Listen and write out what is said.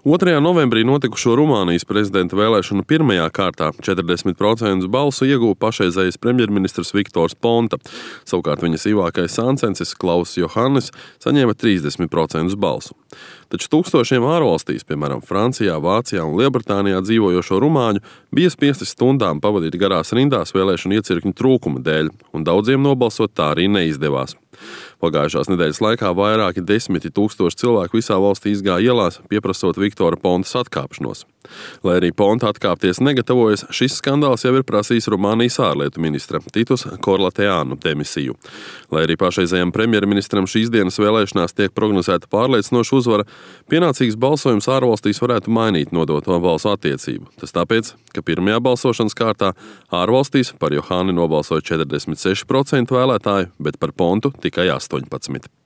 2. novembrī notikušo Rumānijas prezidenta vēlēšanu pirmajā kārtā 40% balsu ieguva pašreizējais premjerministrs Viktors Ponta. Savukārt viņa sīvākais sāncensis Klauss Johannis saņēma 30% balsu. Taču tūkstošiem ārvalstīs, piemēram, Francijā, Vācijā un Lielbritānijā dzīvojošo rumāņu, bija spiesti stundām pavadīt garās rindās vēlēšanu iecirkņu trūkuma dēļ, un daudziem nobalsot tā arī neizdevās. Pagājušās nedēļas laikā vairāki 10 000 cilvēku visā valstī izgāja ielās, pieprasot Viktora Pontas atkāpšanos. Lai arī Ponta atkāpties negatavojas, šis skandāls jau ir prasījis Rumānijas ārlietu ministra Titus Korlateānu demisiju. Lai arī pašreizējam premjerministram šīs dienas vēlēšanās tiek prognozēta pārliecinoša uzvara, pienācīgs balsojums ārvalstīs varētu mainīt nodoto balsu attiecību. Tas tāpēc, ka pirmajā balsošanas kārtā ārvalstīs par Johani nobalsoja 46% vēlētāju, bet par Pontu tikai 18%.